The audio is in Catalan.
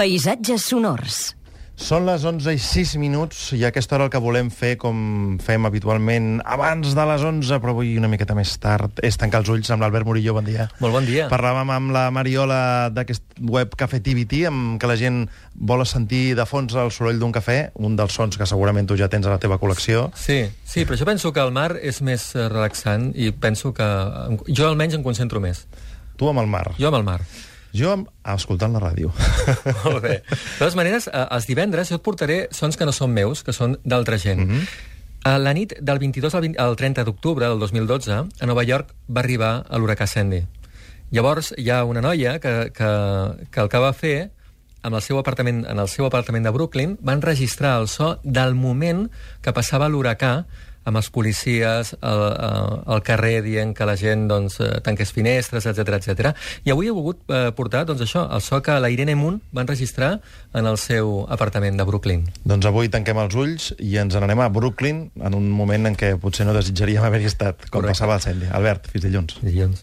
Paisatges sonors. Són les 11:06 i a aquesta hora el que volem fer, com fem habitualment, abans de les 11, però avui una miqueta més tard, és tancar els ulls amb l'Albert Murillo. Bon dia. Molt bon dia. Parlàvem amb la Mariola d'aquest web Cafetivity, amb que la gent vol sentir de fons el soroll d'un cafè, un dels sons que segurament tu ja tens a la teva col·lecció. Sí, però jo penso que el mar és més relaxant i penso que jo almenys em concentro més. Tu amb el mar. Jo amb el mar. Jo escoltant la ràdio. Molt bé. De totes maneres, els divendres jo et portaré sons que no són meus, que són d'altra gent. A la nit del 22 al 30 d'octubre del 2012, a Nova York va arribar l'huracà Sandy. Llavors hi ha una noia que el que va fer, en el seu apartament de Brooklyn, van registrar el so del moment que passava l'huracà, amb els policies al carrer dient que la gent tanqués finestres, etc. I avui he volgut portar això, el so que la Irene Moon van registrar en el seu apartament de Brooklyn. Doncs avui tanquem els ulls i ens n'anem a Brooklyn en un moment en què potser no desitjaríem haver-hi estat, com passava el Sandy. Albert, fins dilluns. Dilluns.